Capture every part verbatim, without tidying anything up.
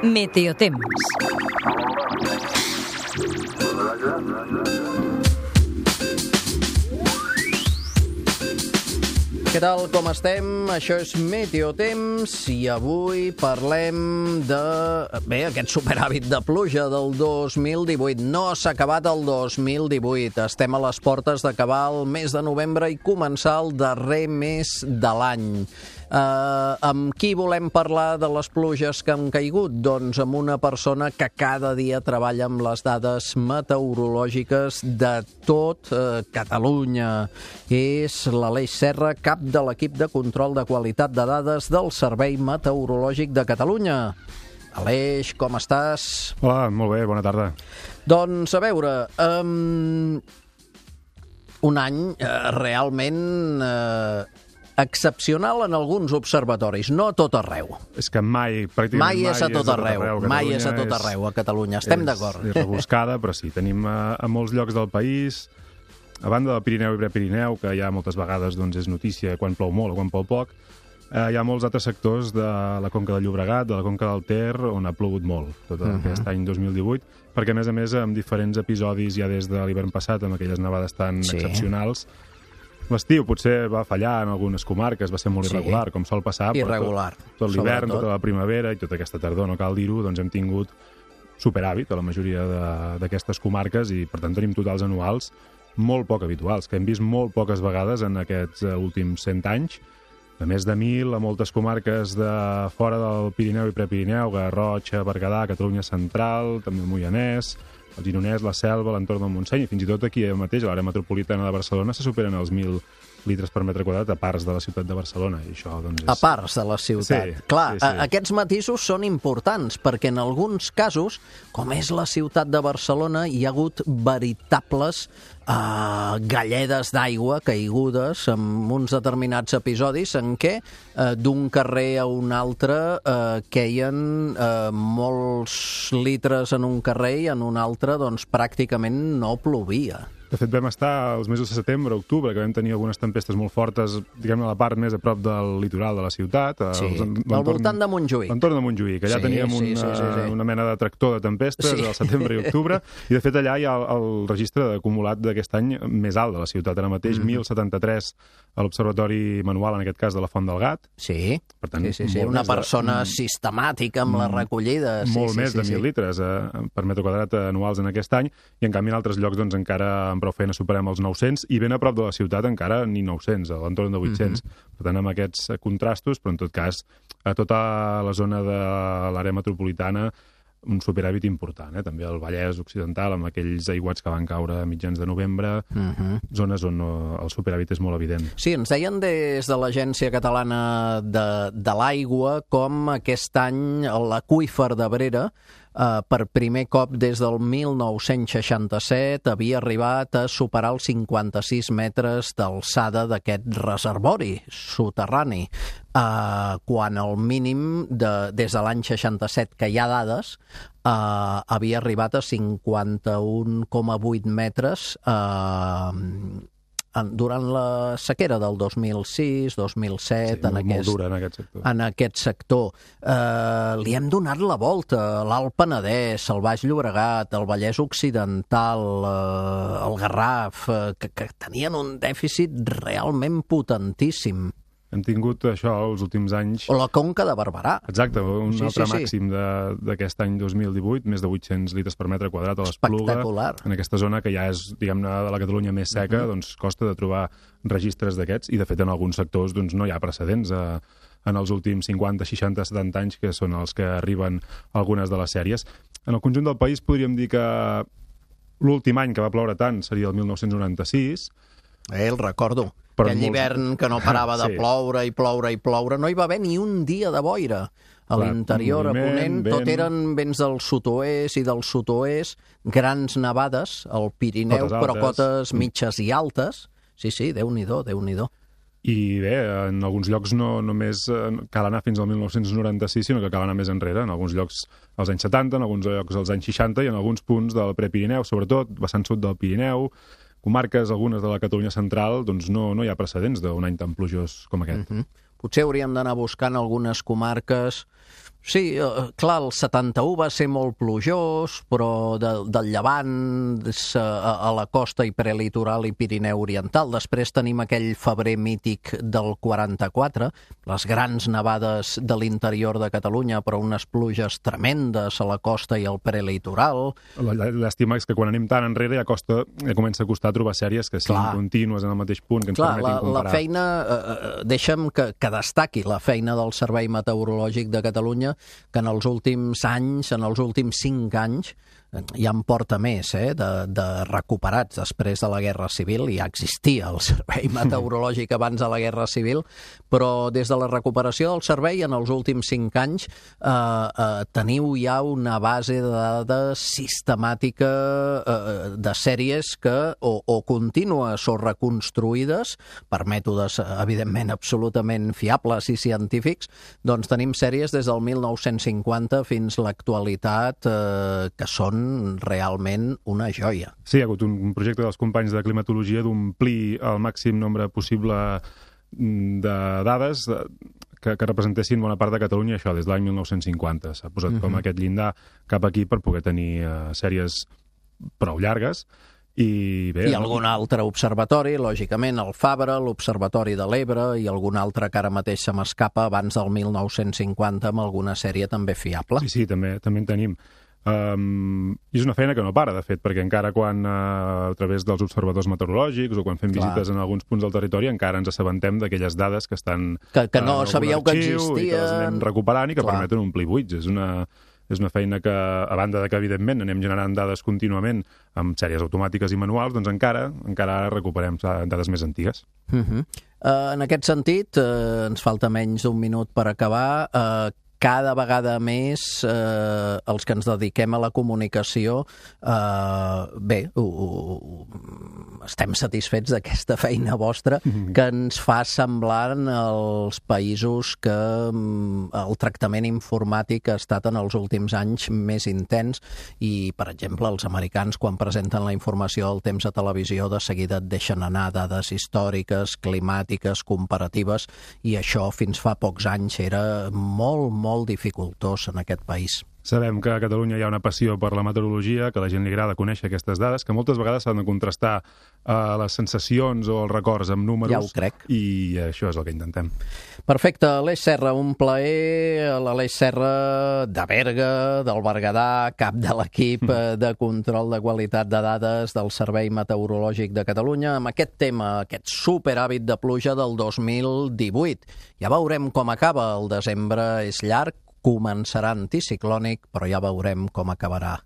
Meteotemps. Què tal, com estem? Això és Meteotemps i avui parlem de... Bé, aquest superàvit de pluja del dos mil divuit. No s'ha acabat el dos mil divuit. Estem a les portes d'acabar el mes de novembre i començar el darrer mes de l'any. Uh, amb qui volem parlar de les pluges que han caigut? Doncs amb una persona que cada dia treballa amb les dades meteorològiques de tot uh, Catalunya. És l'Aleix Serra, cap de l'equip de control de qualitat de dades del Servei Meteorològic de Catalunya. Aleix, com estàs? Hola, molt bé, bona tarda. Doncs, a veure, um, un any uh, realment... Uh, excepcional en alguns observatoris, no a tot arreu. És que mai, pràcticament mai és a tot arreu, mai és a tot arreu a Catalunya, estem d'acord. És rebuscada, però sí, tenim a, a molts llocs del país, a banda del Pirineu i Prepirineu, que ja moltes vegades doncs, és notícia quan plou molt o quan plou poc, eh, hi ha molts altres sectors de la Conca del Llobregat, de la Conca del Ter, on ha plogut molt, tot uh-huh. aquest any dos mil divuit, perquè a més a més amb diferents episodis ja des de l'hivern passat, amb aquelles nevades tan sí. excepcionals. L'estiu potser va fallar en algunes comarques, va ser molt irregular, sí. com sol passar. Irregular. Tot, tot l'hivern, tota la primavera i tota aquesta tardor, no cal dir-ho, doncs hem tingut superàvit a la majoria d'aquestes comarques i, per tant, tenim totals anuals molt poc habituals, que hem vist molt poques vegades en aquests últims cent anys, de més de mil a moltes comarques de fora del Pirineu i Prepirineu, Garrotxa, Berguedà, Catalunya Central, també el Moianès, el Gironès, la Selva, l'entorn del Montseny, i fins i tot aquí mateix, a l'àrea metropolitana de Barcelona, se superen els mil litres per metre quadrat a parts de la ciutat de Barcelona. I això, doncs, és... A parts de la ciutat. Sí, Clar, sí, sí. aquests matisos són importants, perquè en alguns casos, com és la ciutat de Barcelona, hi ha hagut veritables uh, galledes d'aigua caigudes en uns determinats episodis en què uh, d'un carrer a un altre uh, queien uh, molts litres en un carrer i en un altre doncs, pràcticament no plovia. De fet, vam estar als mesos de setembre, octubre, que vam tenir algunes tempestes molt fortes, diguem-ne, a la part més a prop del litoral de la ciutat. Sí, al voltant de Montjuïc. L'entorn de Montjuïc, allà sí, teníem sí, una, sí, sí, sí. una mena de tractor de tempestes sí. al setembre i octubre, i de fet allà hi ha el, el registre acumulat d'aquest any més alt de la ciutat. Ara mateix, mm. mil setanta-tres a l'observatori manual, en aquest cas, de la Font del Gat. Sí, per tant, sí, sí, sí. una persona de... sistemàtica amb la recollida. Sí, molt sí, més sí, de mil sí. litres eh, per metre quadrat anuals en aquest any, i en canvi en altres llocs doncs, encara amb prou feina superem els nou-cents, i ben a prop de la ciutat encara ni nou-cents, a l'entorn de vuit-cents. Mm-hmm. Per tant, amb aquests contrastos, però en tot cas, a tota la zona de l'àrea metropolitana, un superàvit important, eh? També el Vallès Occidental, amb aquells aiguats que van caure a mitjans de novembre, uh-huh. zones on el superàvit és molt evident. Sí, ens deien des de l'Agència Catalana de, de l'Aigua com aquest any l'aqüífer d'Abrera, Uh, per primer cop des del mil nou-cents seixanta-set havia arribat a superar els cinquanta-sis metres d'alçada d'aquest reservori soterrani, uh, quan el mínim de, des de l'any seixanta-set, que hi ha dades, uh, havia arribat a cinquanta-un coma vuit metres uh, durant la sequera del dos mil sis, dos mil set, sí, en, molt, aquest, molt dura en aquest sector. En aquest sector. Eh, li hem donat la volta a l'Alt Penedès, el Baix Llobregat, el Vallès Occidental, eh, el Garraf, eh, que, que tenien un dèficit realment potentíssim. Hem tingut això els últims anys... O la Conca de Barberà. Exacte, un sí, altre sí, sí. màxim d'aquest any dos mil divuit, més de vuit-cents litres per metre quadrat a l'Espluga. Espectacular. En aquesta zona que ja és, diguem-ne, de la Catalunya més seca, uh-huh. doncs costa de trobar registres d'aquests, i de fet en alguns sectors doncs, no hi ha precedents a, en els últims cinquanta, seixanta, setanta anys, que són els que arriben algunes de les sèries. En el conjunt del país podríem dir que l'últim any que va ploure tant seria el mil nou-cents noranta-sis. Eh, el recordo. Per Aquell molts... hivern que no parava de sí. ploure i ploure i ploure. No hi va haver ni un dia de boira. A l'interior, a Ponent, vent... tot eren vents del sud-oest i del sud-oest, grans nevades, al Pirineu, però cotes mitges i altes. Sí, sí, Déu-n'hi-do, Déu-n'hi-do. I bé, en alguns llocs no només cal anar fins al mil nou-cents noranta-sis, sinó que cal anar més enrere. En alguns llocs als anys setanta, en alguns llocs als anys seixanta i en alguns punts del Prepirineu, sobretot vessant sud del Pirineu, comarques, algunes de la Catalunya central, doncs no, no hi ha precedents d'un any tan plujós com aquest. Mm-hmm. potser hauríem d'anar buscant algunes comarques. Sí, eh, clar, el setanta-u va ser molt plujós, però de, del Llevant a, a la costa i prelitoral i Pirineu Oriental. Després tenim aquell febrer mític del quaranta-quatre, les grans nevades de l'interior de Catalunya, però unes pluges tremendes a la costa i al prelitoral. L'estima és que quan anem tan enrere ja, costa, ja comença a costar trobar sèries que siguin clar. Contínues en el mateix punt, que ens clar, permetin comparar. La feina, eh, deixa'm que, que destaqui la feina del Servei Meteorològic de Catalunya, que en els últims anys, en els últims cinc anys, ja en porta més, eh, de, de recuperats després de la Guerra Civil. Ja existia el Servei Meteorològic abans de la Guerra Civil, però des de la recuperació del servei, en els últims cinc anys, eh, eh, teniu ja una base de dades sistemàtica eh, de sèries que o, o contínues o reconstruïdes per mètodes, evidentment, absolutament fiables i científics. Doncs tenim sèries des del mil nou-cents cinquanta fins a l'actualitat eh, que són realment una joia. Sí, hi ha hagut un projecte dels companys de climatologia d'omplir el màxim nombre possible de dades que, que representessin bona part de Catalunya, això des de l'any mil nou-cents cinquanta. S'ha posat uh-huh. com aquest llindar cap aquí per poder tenir uh, sèries prou llargues. I, bé, I algun altre observatori, lògicament, el Fabra, l'Observatori de l'Ebre i algun altre que ara mateix se m'escapa abans del mil nou-cents cinquanta amb alguna sèrie també fiable. Sí, sí, també, també en tenim. Um, és una feina que no para, de fet, perquè encara quan uh, a través dels observadors meteorològics o quan fem Clar. visites en alguns punts del territori encara ens assabentem d'aquelles dades que estan que, que no uh, sabíeu que existien i que les anem recuperant i que Clar. permeten omplir buits. És una, és una feina que, a banda de que evidentment anem generant dades contínuament amb sèries automàtiques i manuals, doncs encara encara recuperem dades més antigues. Uh-huh. uh, En aquest sentit, uh, ens falta menys d'un minut per acabar. Uh, Cada vegada més eh, els que ens dediquem a la comunicació, eh, bé, uh, uh, estem satisfets d'aquesta feina vostra que ens fa semblar als països que um, el tractament informàtic ha estat en els últims anys més intens i, per exemple, els americans, quan presenten la informació del temps a televisió, de seguida et deixen anar dades històriques, climàtiques, comparatives, i això fins fa pocs anys era molt, molt molt dificultós en aquest país. Sabem que a Catalunya hi ha una passió per la meteorologia, que a la gent li agrada conèixer aquestes dades, que moltes vegades s'han de contrastar eh, les sensacions o els records amb números. Ja ho crec. I això és el que intentem. Perfecte. Aleix Serra, un plaer. L'Aleix Serra de Berga, del Berguedà, cap de l'equip de control de qualitat de dades del Servei Meteorològic de Catalunya, amb aquest tema, aquest superhàbit de pluja del dos mil divuit. Ja veurem com acaba. El desembre és llarg, començarà anticiclònic, però ja veurem com acabarà.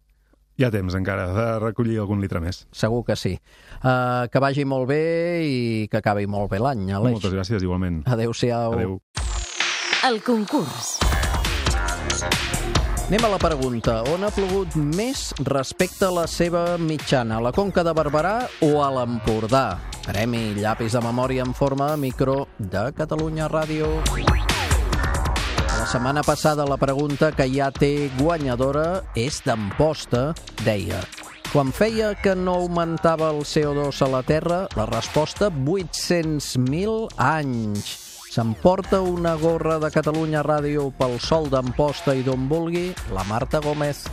Hi ha temps encara de recollir algun litre més. Segur que sí. Uh, que vagi molt bé i que acabi molt bé l'any, Aleix. Moltes gràcies, igualment. Adéu-siau. Adéu. El concurs. Anem a la pregunta. On ha plogut més respecte a la seva mitjana? A la Conca de Barberà o a l'Empordà? Premi llapis de memòria en forma de micro de Catalunya Ràdio. La setmana passada la pregunta que ja té guanyadora és d'Amposta, deia: quan feia que no augmentava el C O dos a la Terra? La resposta, vuit-cents mil anys. S'emporta una gorra de Catalunya Ràdio pel sol d'Amposta i d'on vulgui la Marta Gómez.